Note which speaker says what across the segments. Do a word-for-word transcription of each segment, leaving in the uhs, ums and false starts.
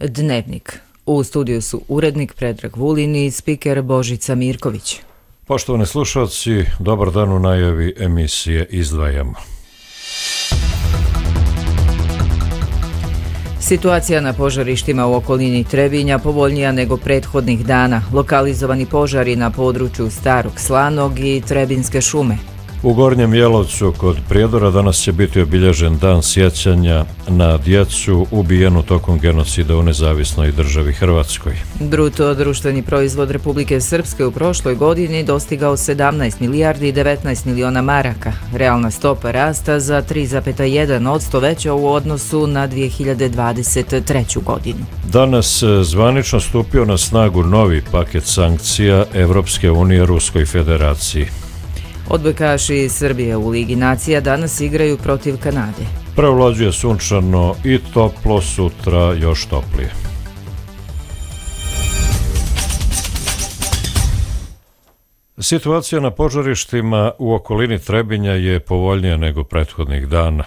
Speaker 1: Dnevnik. U studiju su urednik Predrag Vulin i spiker Božica Mirković.
Speaker 2: Poštovani slušalci, dobar dan u najavi emisije Izdvajamo.
Speaker 1: Situacija na požarištima u okolini Trebinja povoljnija nego prethodnih dana. Lokalizovani požari na području Starog Slanog i Trebinjske šume.
Speaker 2: U Gornjem Jelovcu kod Prijedora danas će biti obilježen dan sjećanja na djecu ubijenu tokom genocida u nezavisnoj državi Hrvatskoj. Bruto društveni proizvod Republike Srpske u prošloj godini dostigao sedamnaest milijardi i devetnaest miliona maraka. Realna stopa rasta za tri zarez jedan posto veća u odnosu na dvije hiljade dvadeset treću. godinu. Danas zvanično stupio na snagu novi paket sankcija Evropske unije Ruskoj federaciji.
Speaker 1: Odbojkaši iz Srbije u Ligi nacija danas igraju protiv Kanade.
Speaker 2: Prevlađuje sunčano i toplo, sutra još toplije. Situacija na požarištima u okolini Trebinja je povoljnija nego prethodnih dana.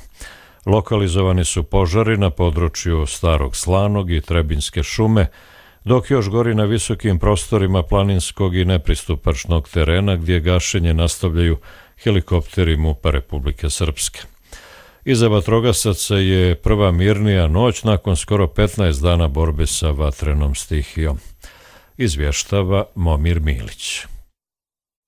Speaker 2: Lokalizovani su požari na području Starog Slanog i Trebinjske šume, dok još gori na visokim prostorima planinskog i nepristupačnog terena gdje gašenje nastavljaju helikopteri MUP-a Republike Srpske. Iza vatrogasaca je prva mirnija noć nakon skoro petnaest dana borbe sa vatrenom stihijom. Izvještava Momir Milić.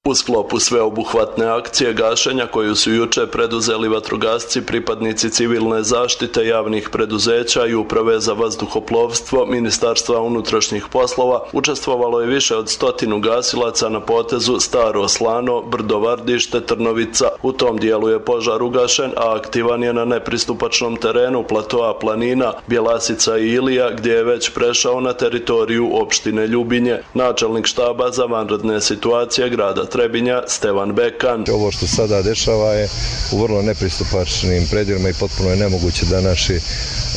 Speaker 3: U sklopu sveobuhvatne akcije gašenja koju su juče preduzeli vatrogasci, pripadnici civilne zaštite javnih preduzeća i uprave za vazduhoplovstvo Ministarstva unutrašnjih poslova, učestvovalo je više od stotinu gasilaca na potezu Staro Slano, Brdo Vardište, Trnovica. U tom dijelu je požar ugašen, a aktivan je na nepristupačnom terenu platoa planina Bjelasica i Ilija, gdje je već prešao na teritoriju opštine Ljubinje. Načelnik štaba za vanredne situacije grada Trebinja, Stevan Bekan.
Speaker 4: Ovo što sada dešava je u vrlo nepristupačnim predjelima i potpuno je nemoguće da naši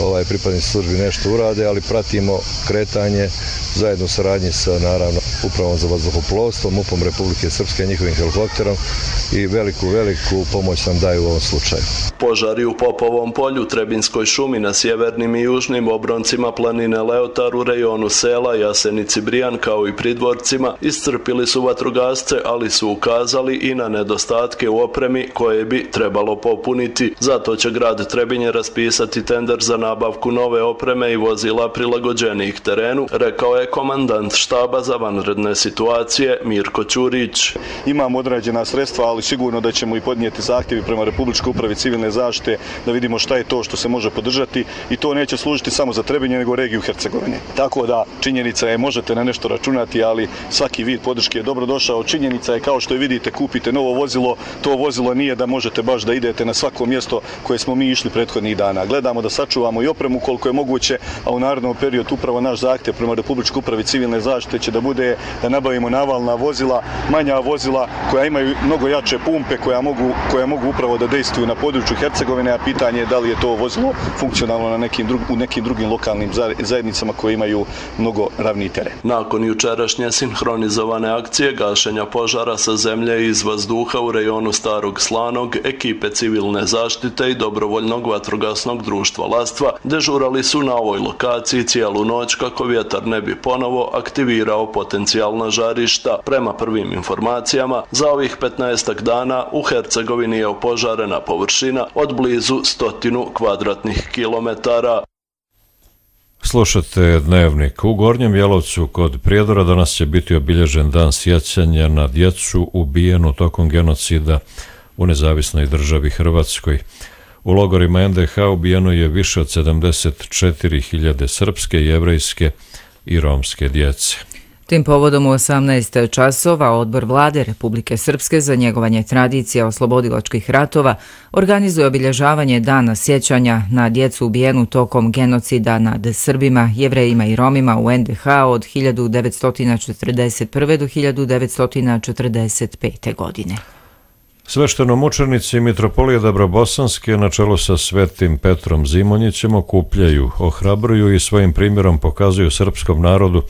Speaker 4: ovaj, pripadnici službi nešto urade, ali pratimo kretanje zajedno u saradnji sa, naravno, Upravom za vazduhoplovstvo, MUP-om Republike Srpske i njihovim helikopterom i veliku, veliku pomoć nam daju u ovom slučaju.
Speaker 3: Požari u Popovom polju, Trebinjskoj šumi na sjevernim i južnim obroncima planine Leotar u rejonu sela Jasenici Brijan kao i pridvorcima iscrpili su vatrogasce, ali su ukazali i na nedostatke u opremi koje bi trebalo popuniti. Zato će grad Trebinje raspisati tender za nabavku nove opreme i vozila prilagođenih terenu, rekao je komandant štaba za vanredne situacije Mirko Ćurić.
Speaker 5: Imamo određena sredstva, ali sigurno da ćemo i podnijeti zahtjevi prema Republičkoj upravi civilne zaštite da vidimo šta je to što se može podržati i to neće služiti samo za Trebinje nego regiju Hercegovine. Tako da činjenica je možete na nešto računati, ali svaki vid podrške je dobro došao. Činjenica je kao što je vidite, kupite novo vozilo, to vozilo nije da možete baš da idete na svako mjesto koje smo mi išli prethodnih dana. Gledamo da sačuvamo i opremu koliko je moguće, a u narednom periodu upravo naš zahtjev prema Republičkoj upravi civilne zaštite će da bude da nabavimo navalna vozila, manja vozila koja imaju mnogo jače pumpe koja mogu, koja mogu upravo da dejstvuju na području Hercegovine, a pitanje je da li je to vozilo funkcionalno na nekim drug, u nekim drugim lokalnim zajednicama koje imaju mnogo ravniji teren.
Speaker 3: Nakon jučerašnje sinhronizovane akcije gašenja požara sa zemlje i iz vazduha u rejonu Starog Slanog, ekipe civilne zaštite i dobrovoljnog vatrogasnog društva Lastva dežurali su na ovoj lokaciji cijelu noć kako vjetar ne bi ponovo aktivirao potencijalna žarišta. Prema prvim informacijama, za ovih petnaestak dana u Hercegovini je opožarena površina od blizu stotinu kvadratnih kilometara.
Speaker 2: Slušate Dnevnik. U Gornjem Jelovcu kod Prijedora danas će biti obilježen dan sjećanja na djecu ubijenu tokom genocida u nezavisnoj državi Hrvatskoj. U logorima en de ha ubijeno je više od sedamdeset četiri hiljade srpske, jevrejske i romske djece.
Speaker 1: Tim povodom u osamnaest časova Odbor Vlade Republike Srpske za njegovanje tradicija oslobodilačkih ratova organizuje obilježavanje dana sjećanja na djecu ubijenu tokom genocida nad Srbima, Jevrejima i Romima u en de ha od hiljadu devetsto četrdeset prve. do hiljadu devetsto četrdeset pete. godine.
Speaker 2: Sveštenomučenici Mitropolije Dabrobosanske na čelu sa svetim Petrom Zimonjićem okupljaju, ohrabruju i svojim primjerom pokazuju srpskom narodu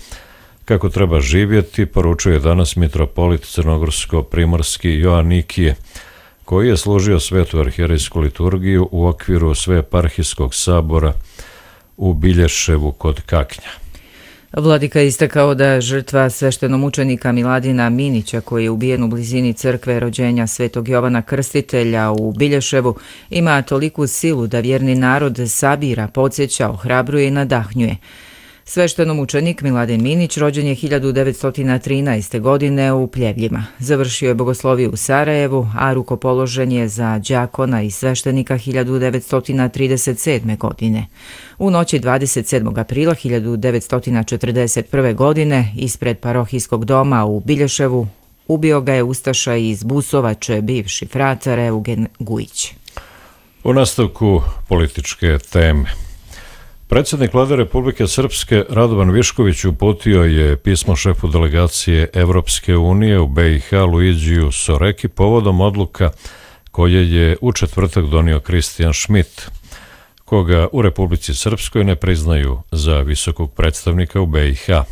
Speaker 2: kako treba živjeti, poručuje danas mitropolit crnogorsko-primorski Joan Nikije, koji je služio svetu arhijerejsku liturgiju u okviru Sveeparhijskog sabora u Bilješevu kod Kaknja.
Speaker 1: Vladika je istakao da žrtva sveštenomučenika Miladina Minića, koji je ubijen u blizini crkve rođenja Svetog Jovana Krstitelja u Bilješevu, ima toliku silu da vjerni narod sabira, podsjeća, ohrabruje i nadahnjuje. Sveštenomučenik Miladin Minić rođen je hiljadu devetsto trinaeste. godine u Pljevljima. Završio je bogosloviju u Sarajevu, a rukopoložen je za đakona i sveštenika hiljadu devetsto trideset sedme. godine. U noći dvadeset sedmog aprila hiljadu devetsto četrdeset prve. godine ispred parohijskog doma u Bilješevu ubio ga je ustaša iz Busovače, bivši fratar Eugen Gujić.
Speaker 2: U nastavku političke teme. Predsjednik Vlade Republike Srpske Radovan Višković uputio je pismo šefu delegacije Evropske unije u B i H Luigiju Soreki povodom odluka koje je u četvrtak donio Christian Schmidt, koga u Republici Srpskoj ne priznaju za visokog predstavnika u B i H.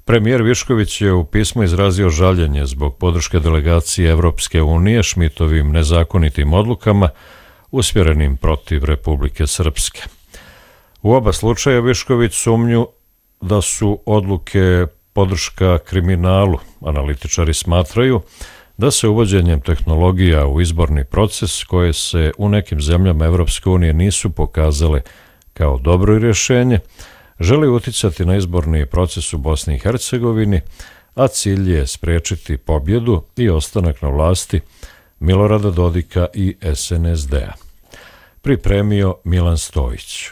Speaker 2: Premijer Višković je u pismu izrazio žaljenje zbog podrške delegacije Evropske unije Schmidtovim nezakonitim odlukama usmjerenim protiv Republike Srpske. U oba slučaja Višković sumnju da su odluke podrška kriminalu. Analitičari smatraju da se uvođenjem tehnologija u izborni proces, koje se u nekim zemljama Evropske unije nisu pokazale kao dobro rješenje, želi uticati na izborni proces u Bosni i Hercegovini, a cilj je spriječiti pobjedu i ostanak na vlasti Milorada Dodika i S N S D-a. Pripremio Milan Stojić.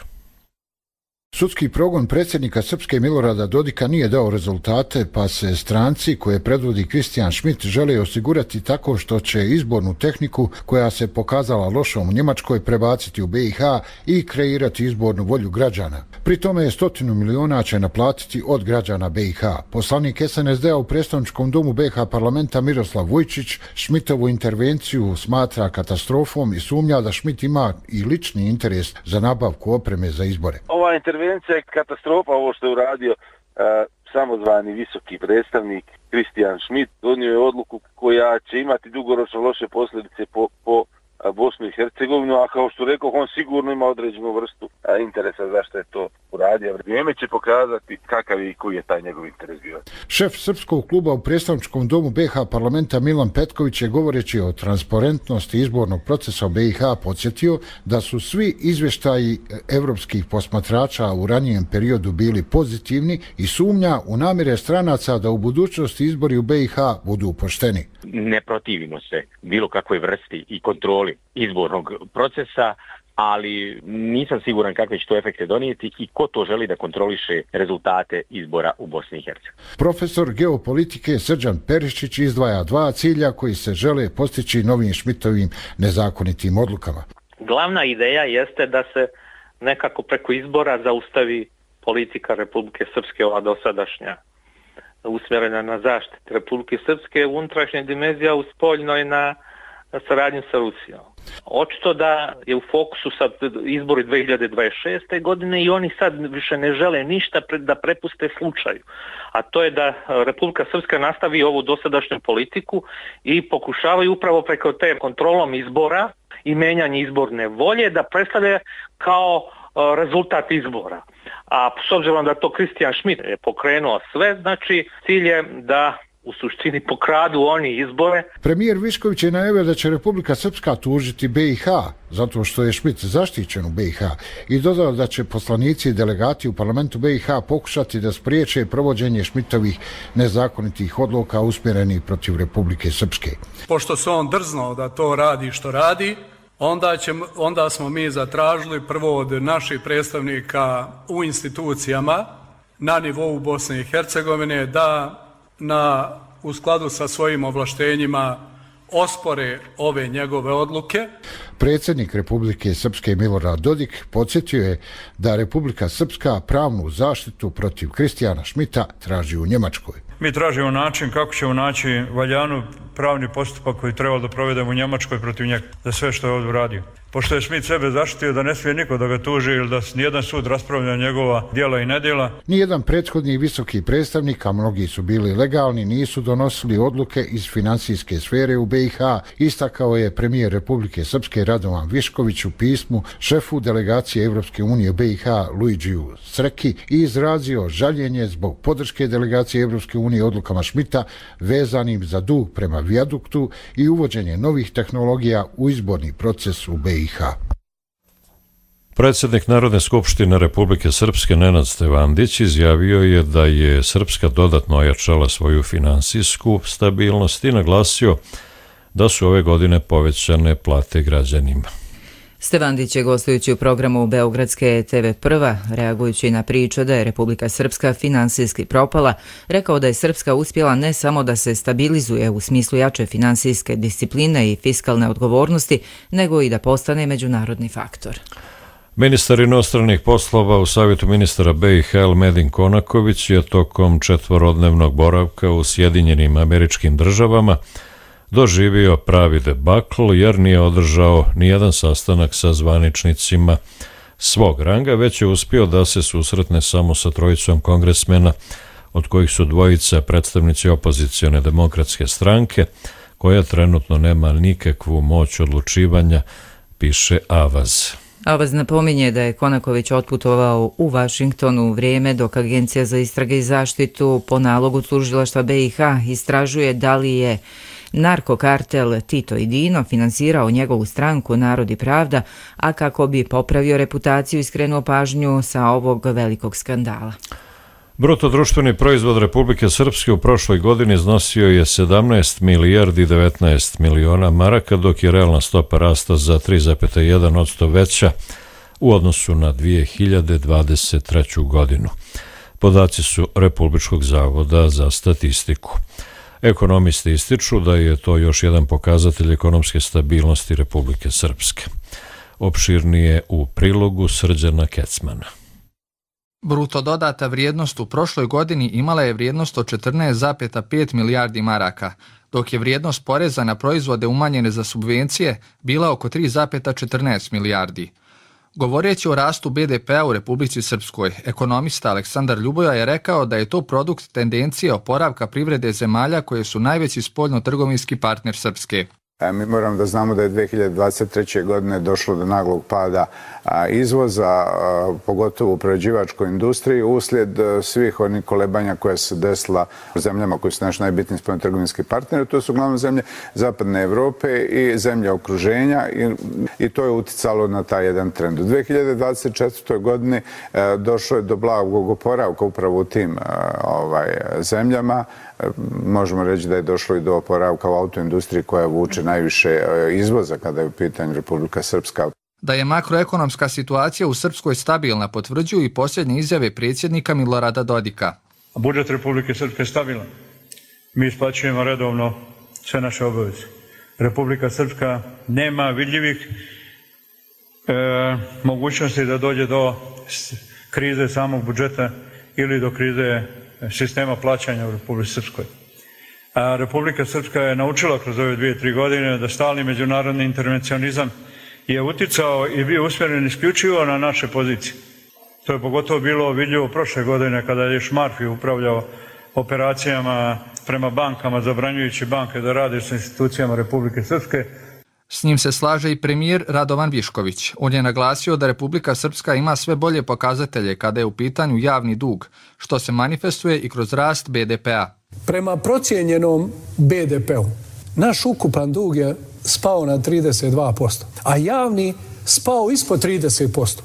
Speaker 6: Sudski progon predsjednika Srpske Milorada Dodika nije dao rezultate, pa se stranci koje predvodi Christian Schmidt žele osigurati tako što će izbornu tehniku koja se pokazala lošom u Njemačkoj prebaciti u B i H i kreirati izbornu volju građana. Pri tome je stotinu miliona će naplatiti od građana B i H. Poslanik S N S D-a u predstavničkom domu B i H parlamenta Miroslav Vujčić Schmidtovu intervenciju smatra katastrofom i sumnja da Schmidt ima i lični interes za nabavku opreme za izbore.
Speaker 7: Ova intervencija je katastrofa, ovo što je uradio uh, samozvani visoki predstavnik Christian Schmidt. Donio je odluku koja će imati dugoročno loše posljedice po, po Bosnu i Hercegovinu, a kao što rekao, on sigurno ima određenu vrstu a, interesa zašto je to uradio. Vrijeme će pokazati kakav je i koji je taj njegov interes bio.
Speaker 6: Šef Srpskog kluba u predstavničkom domu B i H parlamenta Milan Petković je govoreći o transparentnosti izbornog procesa u B i H podsjetio da su svi izvještaji evropskih posmatrača u ranijem periodu bili pozitivni i sumnja u namjere stranaca da u budućnosti izbori u B i H budu pošteni.
Speaker 8: Ne protivimo se bilo kakvoj vrsti i kontroli izbornog procesa, ali nisam siguran kakve će to efekte donijeti i ko to želi da kontroliše rezultate izbora u Bosni i Hercegovini.
Speaker 6: Profesor geopolitike Srđan Perišić izdvaja dva cilja koji se žele postići novim Schmidtovim nezakonitim odlukama.
Speaker 9: Glavna ideja jeste da se nekako preko izbora zaustavi politika Republike Srpske, ova dosadašnja, usmjerena na zaštitu Republike Srpske, unutrašnja dimenzija u spoljnoj na saradnju sa Rusijom. Očito da je u fokusu sad izbori dvije hiljade dvadeset šeste. godine i oni sad više ne žele ništa da prepuste slučaju. A to je da Republika Srpska nastavi ovu dosadašnju politiku i pokušavaju upravo preko te kontrolom izbora i menjanje izborne volje da predstavlja kao rezultat izbora. A s obzirom da to Christian Schmidt je pokrenuo sve, znači cilj je da u suštini pokradu oni izbore.
Speaker 6: Premijer Višković je najavio da će Republika Srpska tužiti B i H zato što je Schmidt zaštićen u B i H i dodao da će poslanici i delegati u parlamentu B i H pokušati da spriječe provođenje Schmidtovih nezakonitih odluka usmjerenih protiv Republike Srpske.
Speaker 10: Pošto se on drznuo da to radi što radi, Onda, će, onda smo mi zatražili prvo od naših predstavnika u institucijama na nivou Bosne i Hercegovine da na, u skladu sa svojim ovlaštenjima ospore ove njegove odluke.
Speaker 6: Predsjednik Republike Srpske Milorad Dodik podsjetio je da Republika Srpska pravnu zaštitu protiv Christiana Schmidta traži u Njemačkoj.
Speaker 11: Mi tražimo način kako ćemo naći valjanu pravni postupak koji treba da provedemo u Njemačkoj protiv njega za sve što je ovdje uradio. pošto je Schmidt sebe zaštitio da ne smije niko da ga tuži ili da nijedan sud raspravlja njegova djela i nedjela.
Speaker 6: Nijedan prethodni visoki predstavnik, a mnogi su bili legalni, nisu donosili odluke iz financijske sfere u be i ha, istakao je premijer Republike Srpske Radovan Višković u pismu šefu delegacije Evropske unije u be i ha Luigiju Sreki i izrazio žaljenje zbog podrške delegacije Evropske unije odlukama Schmidta vezanim za dug prema vijaduktu i uvođenje novih tehnologija u izborni proces u be i ha.
Speaker 2: Predsjednik Narodne skupštine Republike Srpske Nenad Stevandić izjavio je da je Srpska dodatno ojačala svoju finansijsku stabilnost i naglasio da su ove godine povećane plate građanima.
Speaker 1: Stevandić je gostujući u programu Beogradske te ve Prva, reagujući na priču da je Republika Srpska finansijski propala, rekao da je Srpska uspjela ne samo da se stabilizuje u smislu jače finansijske discipline i fiskalne odgovornosti, nego i da postane međunarodni faktor.
Speaker 2: Ministar inostranih poslova u Savjetu ministara be i ha Elmedin Konaković je tokom četvorodnevnog boravka u Sjedinjenim Američkim Državama doživio pravi debakl jer nije održao nijedan sastanak sa zvaničnicima svog ranga, već je uspio da se susretne samo sa trojicom kongresmena, od kojih su dvojica predstavnici opozicione demokratske stranke, koja trenutno nema nikakvu moć odlučivanja, piše Avaz.
Speaker 1: Avaz napominje da je Konaković otputovao u Vašington u vrijeme dok Agencija za istrage i zaštitu po nalogu tužilaštva be i ha istražuje da li je narkokartel Tito i Dino finansirao njegovu stranku Narod i pravda, a kako bi popravio reputaciju i skrenuo pažnju sa ovog velikog skandala.
Speaker 2: Bruto društveni proizvod Republike Srpske u prošloj godini iznosio je sedamnaest milijardi devetnaest miliona maraka, dok je realna stopa rasta za tri zarez jedan posto veća u odnosu na dvije hiljade dvadeset treću. godinu. Podaci su Republičkog zavoda za statistiku. Ekonomisti ističu da je to još jedan pokazatelj ekonomske stabilnosti Republike Srpske. Opširnije u prilogu Srđana Kecmana.
Speaker 12: Bruto dodata vrijednost u prošloj godini imala je vrijednost od četrnaest zarez pet milijardi maraka, dok je vrijednost poreza na proizvode umanjene za subvencije bila oko tri zarez četrnaest milijardi. Govoreći o rastu be de pea u Republici Srpskoj, ekonomista Aleksandar Ljuboja je rekao da je to produkt tendencije oporavka privrede zemalja koje su najveći spoljno-trgovinski partner Srpske.
Speaker 13: Mi moramo da znamo da je dve hiljade dvadeset treće. godine došlo do naglog pada izvoza, pogotovo u prerađivačkoj industriji, uslijed svih onih kolebanja koja se desila u zemljama koji su naši najbitniji spoljno-trgovinski partneri. To su uglavnom zemlje Zapadne Evrope i zemlje okruženja i, i to je uticalo na taj jedan trend. U dve hiljade dvadeset četvrtoj. godini došlo je do blagog oporavka upravo u tim ovaj, zemljama. Možemo reći da je došlo i do oporavka u autoindustriji koja vuče najviše izvoza kada je u pitanju Republika Srpska.
Speaker 12: Da je makroekonomska situacija u Srpskoj stabilna potvrđuju i posljednje izjave predsjednika Milorada Dodika.
Speaker 11: Budžet Republike Srpske je stabilan. Mi isplaćujemo redovno sve naše obaveze. Republika Srpska nema vidljivih e, mogućnosti da dođe do krize samog budžeta ili do krize sistema plaćanja u Republici Srpskoj. A Republika Srpska je naučila kroz ove dvije, tri godine da stalni međunarodni intervencionizam je uticao i bio usmjeren isključivo na naše pozicije. To je pogotovo bilo vidljivo prošle godine kada je Šmarfi upravljao operacijama prema bankama, zabranjujući banke da rade s institucijama Republike Srpske.
Speaker 12: S njim se slaže i premijer Radovan Višković. On je naglasio da Republika Srpska ima sve bolje pokazatelje kada je u pitanju javni dug, što se manifestuje i kroz rast be de pea.
Speaker 14: Prema procijenjenom be de peu, naš ukupan dug je spao na trideset dva posto, a javni spao ispod trideset posto.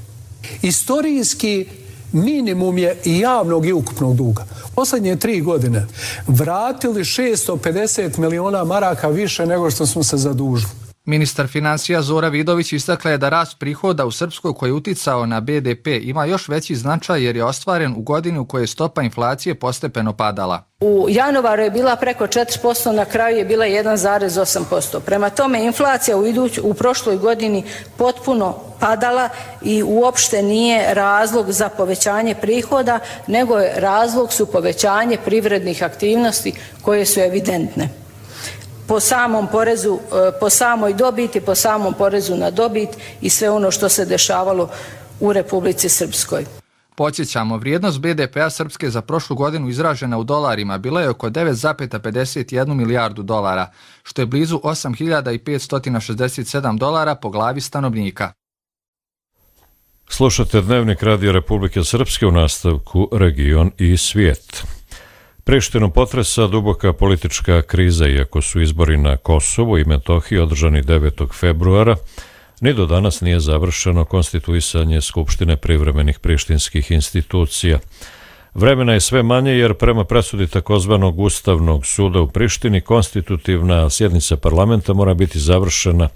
Speaker 14: Istorijski minimum je i javnog i ukupnog duga. Posljednje tri godine vratili šesto pedeset miliona maraka više nego što smo se zadužili.
Speaker 12: Ministar financija Zora Vidović istakla je da rast prihoda u Srpskoj koji je uticao na be de pe ima još veći značaj jer je ostvaren u godini u kojoj je stopa inflacije postepeno padala.
Speaker 15: U januaru je bila preko četiri posto, na kraju je bila jedan zarez osam posto. Prema tome inflacija u, iduć, u prošloj godini potpuno padala i uopšte nije razlog za povećanje prihoda, nego je razlog su povećanje privrednih aktivnosti koje su evidentne. po samom porezu, po samoj dobiti, po samom porezu na dobit i sve ono što se dešavalo u Republici Srpskoj.
Speaker 12: Podsjećamo, vrijednost be de pea Srpske za prošlu godinu izražena u dolarima bila je oko devet zarez pedeset jedan milijardu dolara, što je blizu osam hiljada petsto šezdeset sedam dolara po glavi stanovnika.
Speaker 2: Slušate Dnevnik Radio Republike Srpske, u nastavku Region i svijet. Prištinu potresa duboka politička kriza, iako su izbori na Kosovu i Metohiji održani devetog februara, ni do danas nije završeno konstituisanje Skupštine privremenih prištinskih institucija. Vremena je sve manje jer prema presudi takozvanog Ustavnog suda u Prištini konstitutivna sjednica parlamenta mora biti završena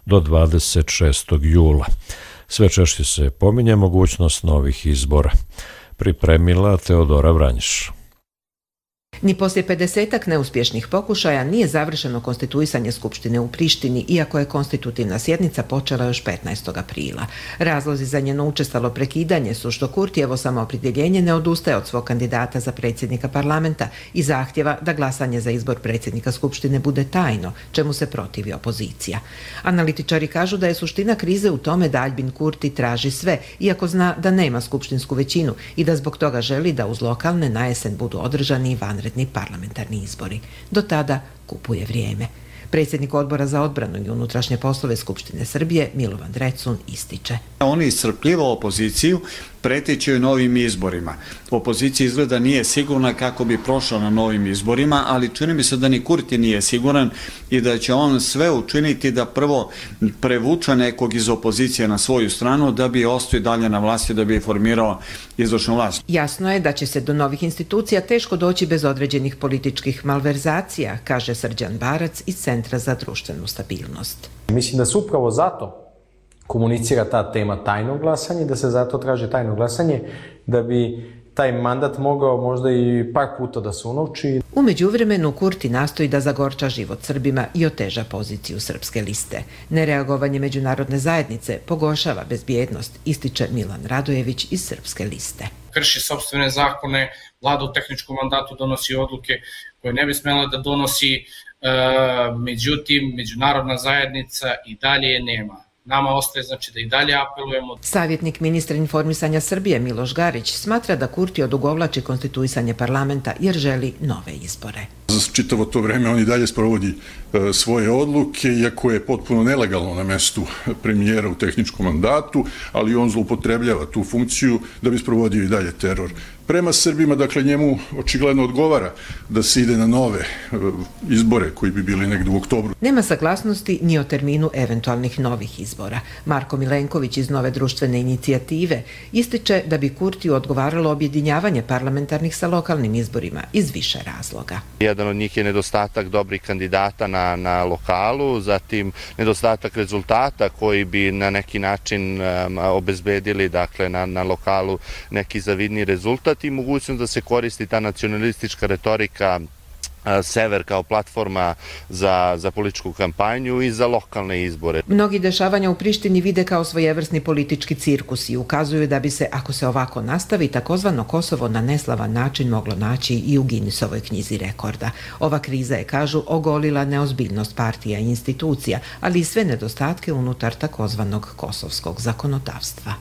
Speaker 2: do dvadeset šestog jula. Sve češće se pominje mogućnost novih izbora. Pripremila Teodora Vranjiš.
Speaker 16: Ni poslije pedesetak neuspješnih pokušaja nije završeno konstituisanje Skupštine u Prištini, iako je konstitutivna sjednica počela još petnaestog aprila. Razlozi za njeno učestalo prekidanje su što Kurtijevo samoopredjeljenje ne odustaje od svog kandidata za predsjednika parlamenta i zahtjeva da glasanje za izbor predsjednika Skupštine bude tajno, čemu se protivi opozicija. Analitičari kažu da je suština krize u tome da Albin Kurti traži sve, iako zna da nema skupštinsku većinu i da zbog toga želi da uz lokalne na jesen budu održani i vanredni parlamentarni izbori. Do tada kupuje vrijeme. Predsjednik Odbora za odbranu i unutrašnje poslove Skupštine Srbije Milovan Drecun ističe.
Speaker 17: Oni iscrpljivo opoziciju, pretječe novim izborima. Opozicija izgleda nije sigurna kako bi prošla na novim izborima, ali čini mi se da ni Kurti nije siguran i da će on sve učiniti da prvo prevuča nekog iz opozicije na svoju stranu da bi ostao dalje na vlasti, da bi formirao izvršnu vlast.
Speaker 16: Jasno je da će se do novih institucija teško doći bez određenih političkih malverzacija, kaže Srđan Barac iz Centra za društvenu stabilnost.
Speaker 18: Mislim da se upravo zato komunicira ta tema tajnog glasanja, da se zato traži tajno glasanje, da bi taj mandat mogao možda i par puta da se unovči.
Speaker 16: U međuvremenu Kurti nastoji da zagorča život Srbima i oteža poziciju srpske liste. Nereagovanje međunarodne zajednice pogoršava bezbjednost, ističe Milan Radojević iz srpske liste.
Speaker 19: Krši sopstvene zakone, vlada u tehničkom mandatu donosi odluke koje ne bi smjela da donosi, e, međutim, međunarodna zajednica i dalje je nema. Nama ostaje znači da i dalje apelujemo.
Speaker 16: Savjetnik ministra informisanja Srbije Miloš Garić smatra da Kurti odugovlači konstituisanje parlamenta jer želi nove izbore.
Speaker 20: Za čitavo to vreme on i dalje sprovodi e, svoje odluke, iako je potpuno nelegalno na mestu premijera u tehničkom mandatu, ali on zloupotrebljava tu funkciju da bi sprovodio i dalje teror prema Srbima. Dakle, njemu očigledno odgovara da se ide na nove e, izbore koji bi bili negdje u oktobru.
Speaker 16: Nema saglasnosti ni o terminu eventualnih novih izbora. Marko Milenković iz Nove društvene inicijative ističe da bi Kurtiju odgovaralo objedinjavanje parlamentarnih sa lokalnim izborima iz više razloga.
Speaker 21: Jedan od njih je nedostatak dobrih kandidata na, na lokalu, zatim nedostatak rezultata koji bi na neki način um, obezbedili dakle, na, na lokalu neki zavidni rezultat i mogućnost da se koristi ta nacionalistička retorika Sever kao platforma za, za političku kampanju i za lokalne izbore.
Speaker 16: Mnogi dešavanja u Prištini vide kao svojevrsni politički cirkus i ukazuju da bi se, ako se ovako nastavi, takozvano Kosovo na neslavan način moglo naći i u Guinnessovoj knjizi rekorda. Ova kriza je, kažu, ogolila neozbiljnost partija i institucija, ali i sve nedostatke unutar takozvanog kosovskog zakonodavstva.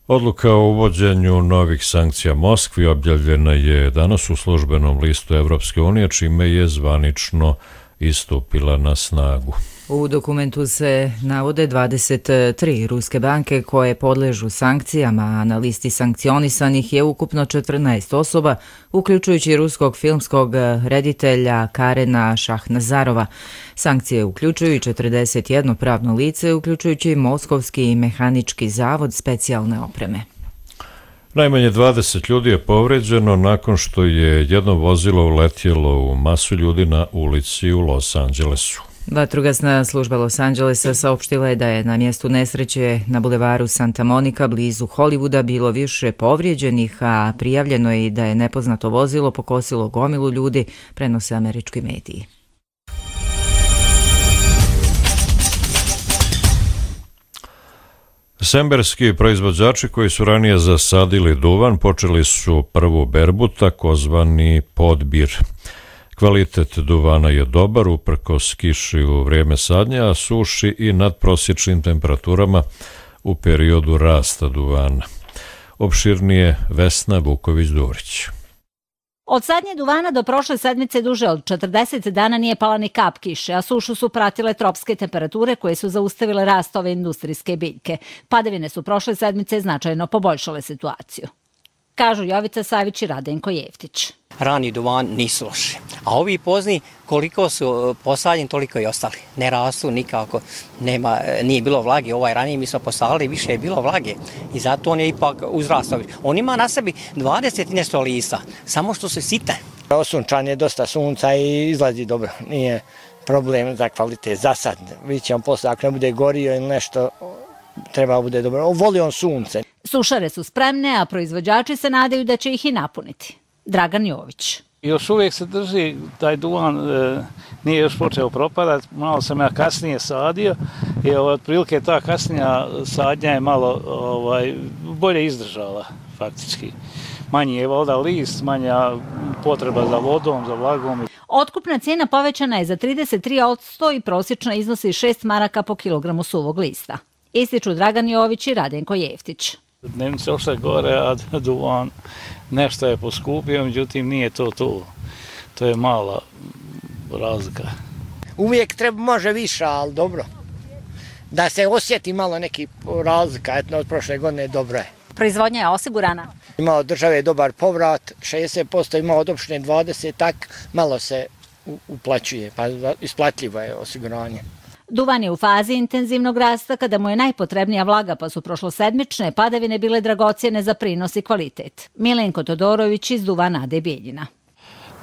Speaker 2: Odluka o uvođenju novih sankcija Moskvi objavljena je danas u službenom listu Evropske unije, čime je zvanično istupila na snagu.
Speaker 1: U dokumentu se navode dvadeset tri ruske banke koje podležu sankcijama, a na listi sankcionisanih je ukupno četrnaest osoba, uključujući ruskog filmskog reditelja Karena Šahnazarova. Sankcije uključuju i četrdeset jedno pravno lice, uključujući Moskovski mehanički zavod specijalne opreme.
Speaker 2: Najmanje dvadeset ljudi je povređeno nakon što je jedno vozilo uletjelo u masu ljudi na ulici u Los Angelesu.
Speaker 1: Vatrogasna služba Los Angelesa saopštila je da je na mjestu nesreće na bulevaru Santa Monica blizu Hollywooda bilo više povrijeđenih, a prijavljeno je i da je nepoznato vozilo pokosilo gomilu ljudi, prenose američki mediji.
Speaker 2: Semberski proizvođači koji su ranije zasadili duvan počeli su prvu berbu, takozvani podbir. Kvalitet duvana je dobar, uprkos kiši u vrijeme sadnja, a suši i nadprosječnim temperaturama u periodu rasta duvana. Opširnije Vesna Vuković-Durić.
Speaker 4: Od sadnje duvana do prošle sedmice duže od četrdeset dana nije pala ni kap kiše, a sušu su pratile tropske temperature koje su zaustavile rast ove industrijske biljke. Padavine su prošle sedmice značajno poboljšale situaciju. Kažu Jovica Savić i Radenko Jeftić.
Speaker 22: Rani duvan nisu loši, a ovi pozni koliko su posadjeni toliko i ostali. Ne rastu nikako, nema, nije bilo vlage, ovaj ranije mi smo posadili, više je bilo vlage i zato on je ipak uzrastao. On ima na sebi dvadeset i nešto lista, samo što se site.
Speaker 23: Osunčan je dosta sunca i izlazi dobro, nije problem za kvalitet. Za sad, vidjet ćemo posle, ako ne bude gorio ili nešto, treba bude dobro. Voli on sunce.
Speaker 4: Sušare su spremne, a proizvođači se nadaju da će ih i napuniti. Dragan Jović.
Speaker 24: Još uvijek se drži, taj duvan e, nije još počeo propadati, malo sam ja kasnije sadio i otprilike ta kasnija sadnja je malo ovaj, bolje izdržala faktički. Manji je voda list, manja potreba za vodom, za vlagom.
Speaker 4: Otkupna cijena povećana je za trideset tri posto i prosječna iznosi šest maraka po kilogramu suvog lista. Ističu Dragan Jović i Radenko Jeftić.
Speaker 24: Dnevnice ošle gore, a duvan nešto je poskupio, međutim nije to to. To je mala razlika.
Speaker 23: Uvijek treba može više, ali dobro. Da se osjeti malo neki razlika, etno od prošle godine dobro je.
Speaker 4: Proizvodnja je osigurana?
Speaker 23: Ima od države dobar povrat, šezdeset posto, ima od opštine dvadeset posto, tak malo se uplaćuje, pa isplatljivo je osiguranje.
Speaker 4: Duvan je u fazi intenzivnog rasta kada mu je najpotrebnija vlaga, pa su prošlosedmične padavine bile dragocjene za prinos i kvalitet. Milenko Todorović iz Duvana Ade Bijeljina.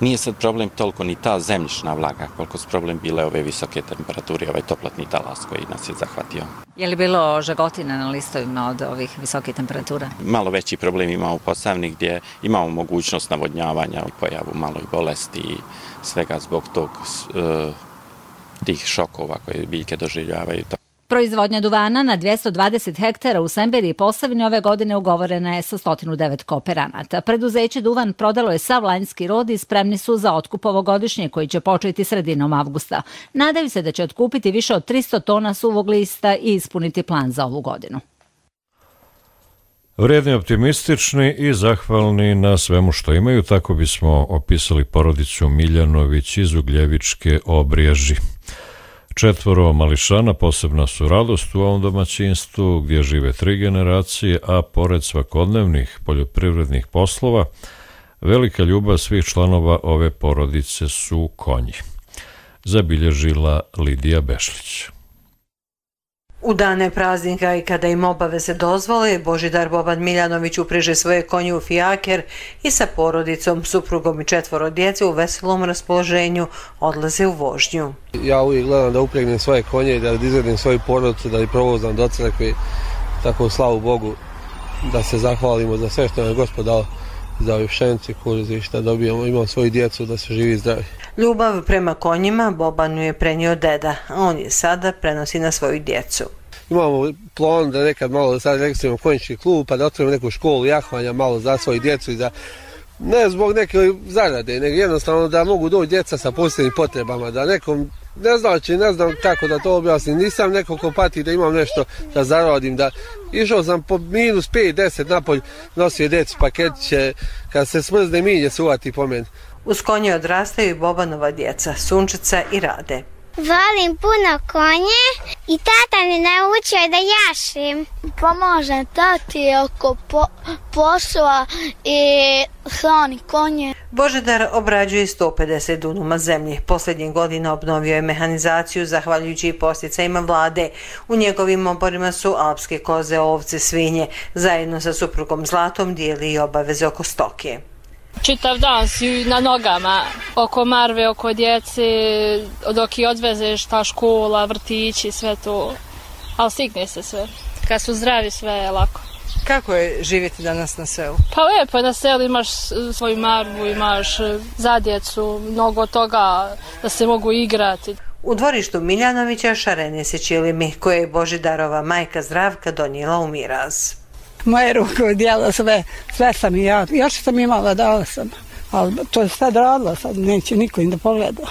Speaker 25: Nije sad problem toliko ni ta zemljišna vlaga, koliko su problem bile ove visoke temperature, ovaj toplotni talas koji nas je zahvatio.
Speaker 4: Je li bilo žagotina na listovima od ovih visokih temperatura?
Speaker 25: Malo veći problem imamo u Posavini gdje imamo mogućnost navodnjavanja, pojavu malo i bolesti i svega zbog tog uh, tih šokova koje biljke doživljavaju.
Speaker 4: Proizvodnja duvana na dvjesto dvadeset hektara u Semberiji i Posavini ove godine ugovorena je sa sto devet kooperanata. Preduzeće Duvan prodalo je sav lanjski rod i spremni su za otkup ovogodišnje koji će početi sredinom avgusta. Nadaju se da će otkupiti više od tristo tona suvog lista i ispuniti plan za ovu godinu.
Speaker 2: Vrijedni, optimistični i zahvalni na svemu što imaju, tako bismo opisali porodicu Miljanović iz Ugljevičke Obriježi. Četvoro mališana posebna su radost u ovom domaćinstvu gdje žive tri generacije, a pored svakodnevnih poljoprivrednih poslova, velika ljubav svih članova ove porodice su konji. Zabilježila Lidija Bešlić.
Speaker 26: U dane praznika i kada im obaveze dozvole, Božidar Boban Miljanović upreže svoje konje u fijaker i sa porodicom, suprugom i četvoro djece u veselom raspoloženju odlaze u vožnju.
Speaker 27: Ja uvijek gledam da upregnem svoje konje, da izvedim svoju porodicu, da ih provozam do crkve, tako slavu Bogu, da se zahvalimo za sve što nam je Gospod dao, za ove pšenice, kukuruze i šta dobijemo, imam svoju djecu da se živi zdravi.
Speaker 26: Ljubav prema konjima Bobanu je prenio deda, a on je sada prenosi na svoju djecu.
Speaker 27: Imamo plan da nekad malo sad registrujemo konjički klub, pa da otvorimo neku školu jahvanja malo za svoju djecu i za, ne zbog neke zarade, nego jednostavno da mogu doći djeca sa posebnim potrebama, da nekom, ne znači, ne znam kako da to objasnim, nisam neko ko pati da imam nešto da zaradim, da išao sam po minus pet deset napolj, nosio djecu paketiće, kad se smrzne minje se uvati po meni.
Speaker 26: Uz konje odrastaju i Bobanova djeca, Sunčica i Rade.
Speaker 28: Volim puno konje i tata mi naučio da jašim. Pomožem tati oko po, posla i hrani konje.
Speaker 26: Božidar obrađuje sto pedeset dunuma zemlje. Posljednjih godina obnovio je mehanizaciju zahvaljujući i posticajima vlade. U njegovim oborima su alpske koze, ovce, svinje. Zajedno sa suprugom Zlatom dijeli i obaveze oko stoke.
Speaker 29: Čitav dan si na nogama, oko marve, oko djece, dok i odvezeš ta škola, vrtići, sve to, ali stigne se sve. Kad su zdravi, sve je lako.
Speaker 26: Kako je živjeti danas na selu?
Speaker 29: Pa lijepo je na selu, imaš svoju marvu, imaš za djecu, mnogo toga da se mogu igrati.
Speaker 26: U dvorištu Miljanovića šarene se čilimi, koje je Božidarova majka Zdravka donijela u miraz.
Speaker 30: Moje ruke odjela sve, sve sam i ja, još sam imala, dala sam
Speaker 3: ali to je sad radila, sad neće niko im da pogleda.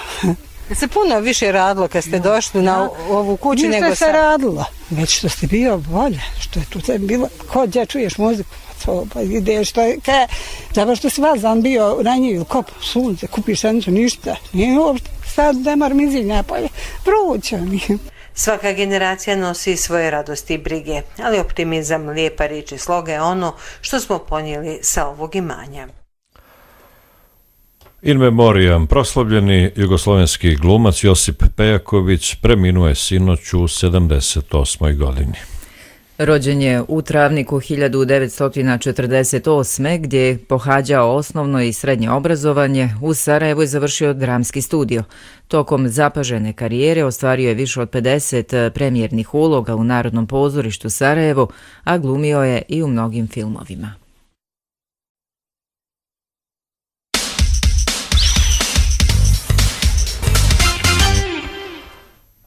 Speaker 26: Se puno više radilo kad ste došli na ovu kuću
Speaker 3: Nije
Speaker 26: nego sad?
Speaker 3: se radilo, već što ste bio bolje, što je tu te bilo, ko gdje čuješ muziku, to, pa ideš, što je, kaj, zato što si vazan bio ranjiv, kop, sunce, kupiš šenicu, ništa, nije uopšte, sad nemar mizinja polje, vruće mi.
Speaker 26: Svaka generacija nosi svoje radosti i brige, ali optimizam, lijepa riječ i sloga je ono što smo ponijeli sa ovog imanja.
Speaker 2: In memoriam, proslavljeni jugoslovenski glumac Josip Pejaković preminuo je sinoć u sedamdeset osmoj godini.
Speaker 1: Rođen je u Travniku hiljadu devetsto četrdeset osme gdje je pohađao osnovno i srednje obrazovanje. U Sarajevu je završio dramski studio. Tokom zapažene karijere ostvario je više od pedeset premijernih uloga u Narodnom pozorištu Sarajevo, a glumio je i u mnogim filmovima.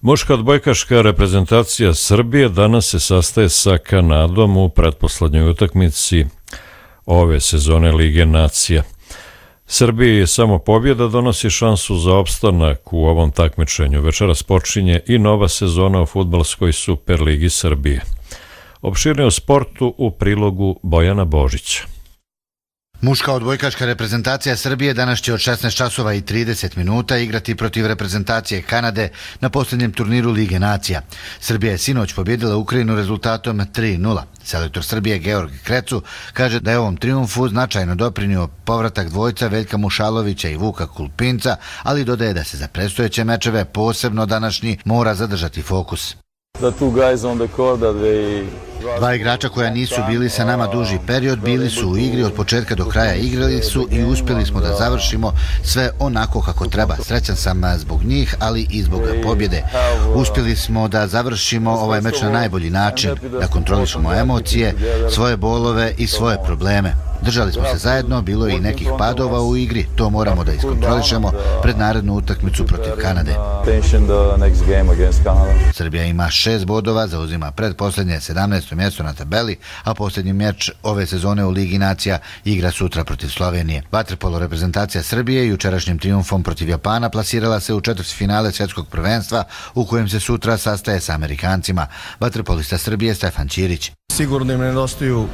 Speaker 2: Muška odbojkaška reprezentacija Srbije danas se sastaje sa Kanadom u pretposlednjoj utakmici ove sezone Lige nacija. Srbiji samo pobjeda donosi šansu za opstanak u ovom takmičenju. Večeras počinje i nova sezona u fudbalskoj Superligi Srbije. Opširnije o sportu u prilogu Bojana Božića.
Speaker 5: Muška odbojkaška reprezentacija Srbije danas će od šesnaest časova i trideset minuta igrati protiv reprezentacije Kanade na posljednjem turniru Lige nacija. Srbija je sinoć pobjedila Ukrajinu rezultatom tri nula. Selektor Srbije Georg Krecu kaže da je ovom triumfu značajno doprinio povratak dvojca Veljka Mušalovića i Vuka Kulpinca, ali dodaje da se za predstojeće mečeve, posebno današnji, mora zadržati fokus. Dva igrača koja nisu bili sa nama duži period bili su u igri od početka do kraja, igrali su i uspjeli smo da završimo sve onako kako treba. Srećan sam zbog njih, ali i zbog pobjede. Uspjeli smo da završimo ovaj meč na najbolji način, da kontrolišemo emocije, svoje bolove i svoje probleme. Držali smo se zajedno, bilo je i nekih padova u igri, to moramo da iskontrolišemo pred narednu utakmicu protiv Kanade. Srbija ima šest bodova, zauzima predposlednje sedamnaesto mjesto na tabeli, a posljednji meč ove sezone u Ligi nacija igra sutra protiv Slovenije. Vaterpolo reprezentacija Srbije jučerašnjim triumfom protiv Japana plasirala se u četvrtfinale svjetskog prvenstva u kojem se sutra sastaje sa Amerikancima. Vaterpolista Srbije Stefan Ćirić.
Speaker 6: Sigurno im nedostaju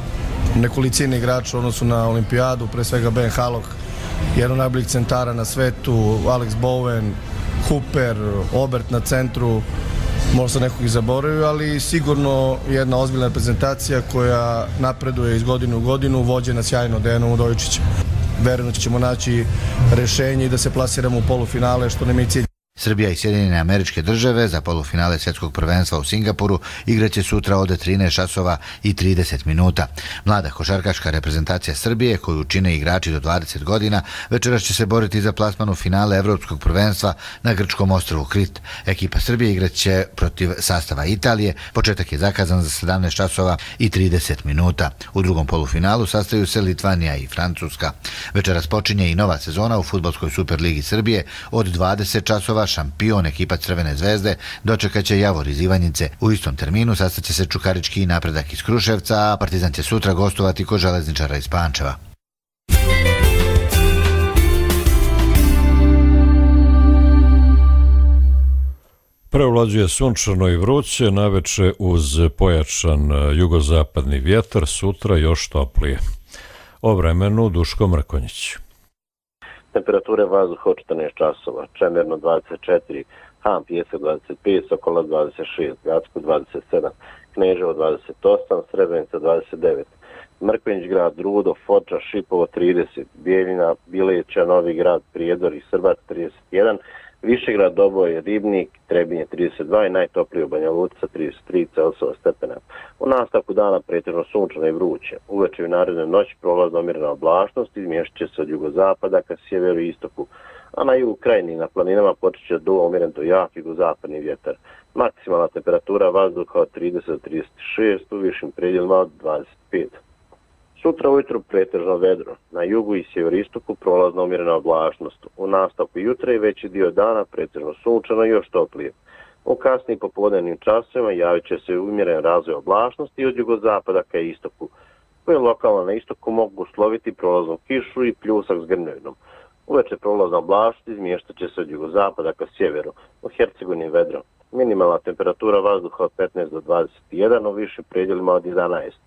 Speaker 6: nekolicine igrača u odnosu na olimpijadu, pre svega Ben Halok, jedan od najboljih centara na svetu, Alex Bowen, Hooper, Obert na centru, možda nekog i zaboravio, ali sigurno jedna ozbiljna reprezentacija koja napreduje iz godine u godinu, vođena sjajno Dejanom Udovičićem. Verujem da ćemo naći rešenje i da se plasiramo u polufinale, što nam je cilj.
Speaker 5: Srbija i Sjedinjene Američke Države za polufinale svjetskog prvenstva u Singapuru igraće sutra od trinaest časova i trideset minuta. Mlada košarkaška reprezentacija Srbije, koju čine igrači do dvadeset godina, večeras će se boriti za plasman u finale Evropskog prvenstva na grčkom ostrvu Krit. Ekipa Srbije igraće protiv sastava Italije. Početak je zakazan za sedamnaest časova i trideset minuta. U drugom polufinalu sastaju se Litvanija i Francuska. Večeras počinje i nova sezona u fudbalskoj Superligi Srbije. Od dvadeset časova šampion ekipa Crvene zvezde dočekat će Javor iz Ivanjice. U istom terminu sastaće se Čukarički Napredak iz Kruševca, a Partizan će sutra gostovati kod Železničara iz Pančeva.
Speaker 2: Prevlađuje sunčano i vruće, naveče uz pojačan jugozapadni vjetar, sutra još toplije. O vremenu Duško Mrkonjić.
Speaker 7: Temperature vazduha od četrnaest časova, Čemerno dvadeset četiri, Han Pijesak dvadeset pet, Sokola dvadeset šest, Gacko dvadeset sedam, Kneževo dvadeset osam, Srebrenica dvadeset devet, Mrkonjić grad, Rudo, Foča, Šipovo trideset, Bijeljina, Bileća, Novi grad, Prijedor i Srbac trideset jedan, Višegrad, Doboj, Ribnik, Trebinje trideset dva i najtoplije u Banja Luci sa trideset tri Celsiusova stepena. U nastavku dana pretežno sunčano i vruće. Uveče i naredne noći prolazna umjerena oblačnost, izmješat će se od jugozapada ka sjeveru i istoku, a na jugu krajini na planinama počet će duo umjeren do jak jugozapadni vjetar. Maksimalna temperatura vazduha od trideset do trideset šest, u višim predjelima od dvadeset pet. Sutra ujutru pretežno vedro, na jugu i sjeveristoku prolazna umjerena oblačnost. U nastavku jutra i veći dio dana pretežno sunčano i još toplije. U kasnim popodnevnim časovima javit će se umjeren razvoj oblačnosti i od jugozapada ka istoku. koje lokalno na istoku mogu usloviti prolaznu kišu i pljusak s grmljavinom. Uveče prolazna oblast izmještat će se od jugozapada ka sjeveru, u Hercegovini vedro. Minimalna temperatura vazduha od petnaest do dvadeset jedan, u višim predjelima od jedanaest.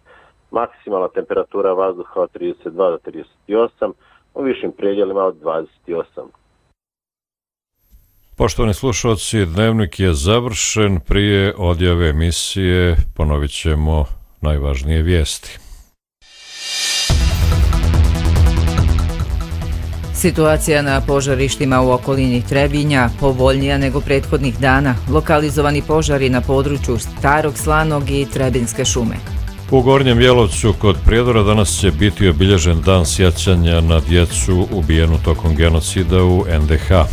Speaker 7: Maksimalna temperatura vazduha od trideset dva do trideset osam, u višim predjelima od dvadeset osam.
Speaker 2: Poštovani slušalci, dnevnik je završen. Prije odjave emisije ponovit ćemo najvažnije vijesti.
Speaker 1: Situacija na požarištima u okolini Trebinja povoljnija nego prethodnih dana. Lokalizovani požari na području Starog Slanog i Trebinske šume.
Speaker 2: U Gornjem Jelovcu kod Prijedora danas će biti obilježen dan sjećanja na djecu ubijenu tokom genocida u en de ha.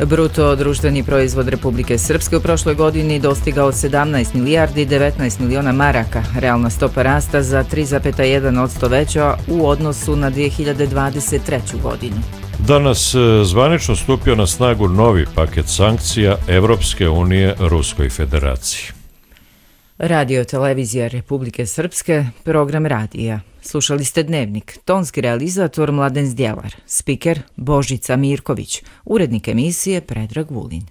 Speaker 1: Bruto društveni proizvod Republike Srpske u prošloj godini dostigao sedamnaest milijardi devetnaest miliona maraka, realna stopa rasta za tri zarez jedan posto veća u odnosu na dvije hiljade dvadeset treću. godinu.
Speaker 2: Danas zvanično stupio na snagu novi paket sankcija Evropske unije Ruskoj federaciji.
Speaker 1: Radio televizija Republike Srpske, program radija. Slušali ste Dnevnik, tonski realizator Mladen Zdjelar, spiker Božica Mirković, urednik emisije Predrag Vulin.